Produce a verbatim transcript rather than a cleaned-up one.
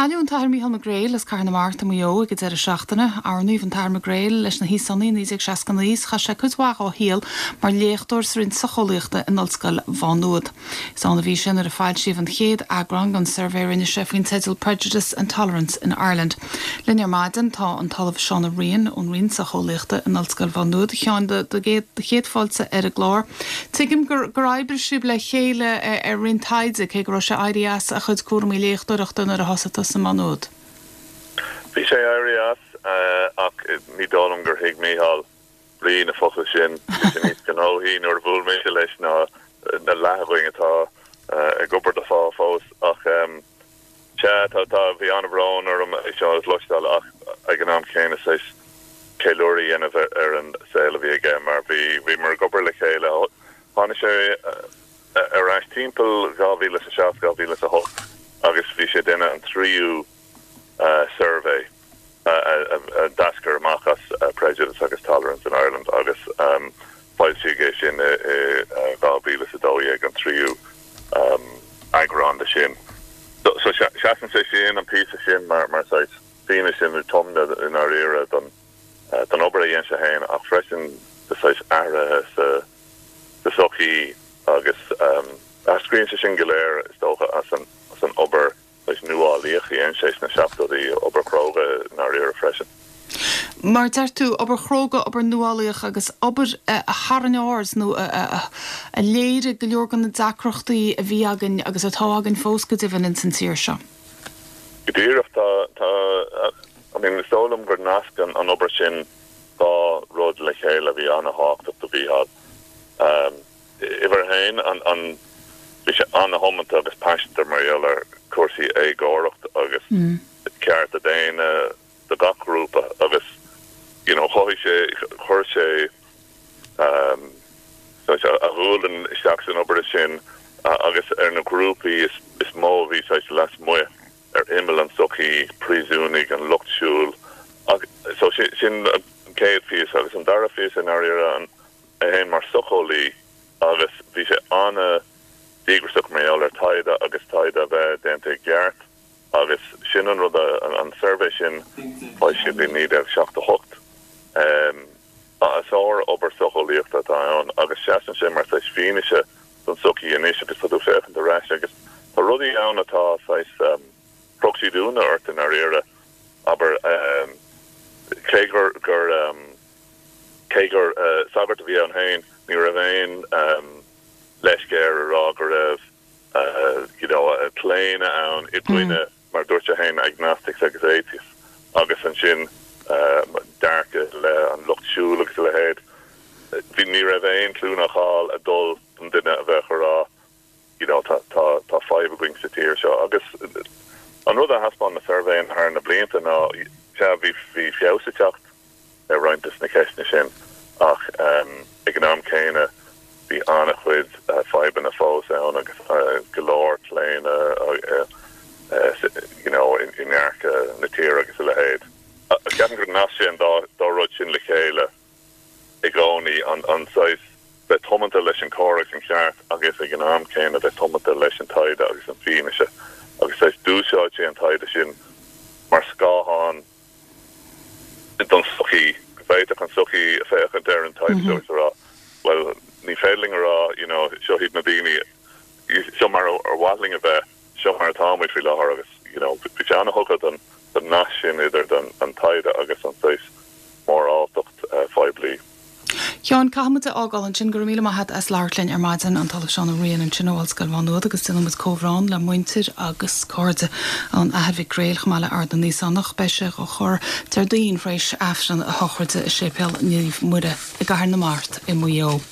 Cailleadh an tAthair Mícheál Mac Gréil as Cathair na Mart i Maigh Eo ag an deireadh seachtaine, oirníodh an tAthair Mac Gréil leis na hÍosánaigh naoi déag seasca naoi chaith sé cuid mhaith dá shaol mar léachtóir sa Roinn Socheolaíochta in Ollscoil Mhá Nuad. Is ann a bhí sé nuair a foilsíodh an chéad eagrán den suirbhé rinne sé faoin teideal Prejudice and Tolerance in Ireland. Linn ar maidin tá an tOllamh Seán Ó Riain ón Roinn Socheolaíochta in Ollscoil Mhá Nuad a Sheáin do chéad fáilte ar an gclár. Tuigim gur gur oibrigh sibh le chéile ar roinnt taighde cé go raibh sé éirithe as a chuid cúraimí léachtóireachta nuair a thosaigh tusa Má Nuad. Bhí sé éirithe as ach ní dóigh liom gur thuig Mícheál brí na focail sin níos gnóthaí nuair a bhuail mé leis ná na leathghoing atá ag obair do phá fós ach sé tá tá bhí an-bhrón orm é seo a chloisteáil ach ag an am céanna saghas ceiliúradh a dhéanamh ar an saol a bhí aige mar bhí bhí mar ag obair le chéile tháinig sé ar ais timpeall dhá mhíle a seacht dhá mhíle a hocht agus bhí sé déanamh an tríú suirbhé a d'eascair amach as Prejudice agus Tolerance in Ireland agus foilsíodh é sin i dhá mhíle a dó dhéag an tríú eagrán de sin. So seasann sé sin an píosa sin mar mar saghas fianaise nó tiomna i ndáiríre don don obair a dhein sé féin ach freisin de saghas athruithe sa sa sochaí agus eascraíonn sé sin go léir is dócha as an as an obair leis nuálaíoch a dhein sé sna seachtóidí obair chróga i ndáiríre freisin. Mar deir tú obair chróga obair nuálaíoch agus obair a tharraing aird nó a léirigh go leor de na deacrachtaí a bhí againn agus atá againn fós go deimhin in san tír seo. Go díreach tá tá I mean is dóigh liom gur nasc an an obair sin dá rud le chéile a bhí an-tábhachtach do Mhícheál. Um, Uimhir a haon an an bhí sé an-thiomanta agus paiseanta mar gheall ar cúrsaí éagóracht agus mm. cearta daonna do gach grúpa agus you know chothaigh sé chuir sé um, so a ghualainn isteach san obair sin uh, agus ar na grúpaí is, is mó a bhí saghas lasmuigh ar imeall an sochaí príosúnaigh an lucht siúil so sin, sin an chéad phíosa agus an dara phíosa i ndáiríre an é féin mar socheolaí agus bhí sé an-díograiseach mar gheall ar taighde agus taighde a bheith déanta i gceart agus sin an rud an, an suirbhé sin foilsíodh i naoi déag seachtó hocht. Um, sár obair socheolaíochta atá ann agus seasann sé mar saghas fianaise don sochaí anois agus tá tú féachaint ar ais agus tá rudaí ann atá saghas um, chroch siad ionadh ort i ndáiríre abair um, cé gur gur um, cé gur uh, sagart a bhí ann féin ní raibh aon um, leisce air a rá go raibh uh, you know, claonadh ann i gcoinne mm. mar dúirt sé féin agnostics agus atheists agus ansin uh, dearcadh le an lucht siúil agus a leithéid. Bhí ní raibh aon clú ná cáil ag dul don duine a bheith rá you know, tá tá tá fadhb againn sa tír seo agus an rud a thaispeáin na suirbhé thar na blianta ná se bhí bhí feabhas ag teacht ar roinnt de na ceisteanna sin ach um, ag an am céanna bhí an-chuid uh, fadhbanna fós ann agus uh, go leor claonadh uh, uh, you know, in, in dearcadh na tíre agus a leithéid. Ceapaim gur nasc sé an dá, dá rud sin le chéile i gcónaí an, an saghas bheith tiomanta leis an cóir agus an ceart agus ag an am céanna bheith tiomanta leis an taighde agus an fianaise agus saghas d'úsáid sé an taighde sin mar scáthán don sochaí go bhféadfadh an sochaí féachaint ar an taighde mm -hmm. rá well ní féidir linn rá you know seo iad na daoine seo mar ar mhaith linn a bheith seo mar atáimid faoi láthair agus you know bhí sé an-thugtha don don nasc sin idir don an taighde agus an saghas móráltacht uh, phoiblí. Sheáin caithfimid a fhágáil ansin go raibh míle maith agat as labhairt linn ar maidin an tOllamh Seán Ó Riain ansin ó Ollscoil Mhá Nuad agus déanfaimid comhbhrón le muintir agus cairde an Athar Mhic Gréil chomh maith le Ord na nÍosánach beidh sé á chur Déardaoin tar éis Aifreann a shochraide i Séipéal Naomh Muire i gCathair na Mart i Maigh Eo.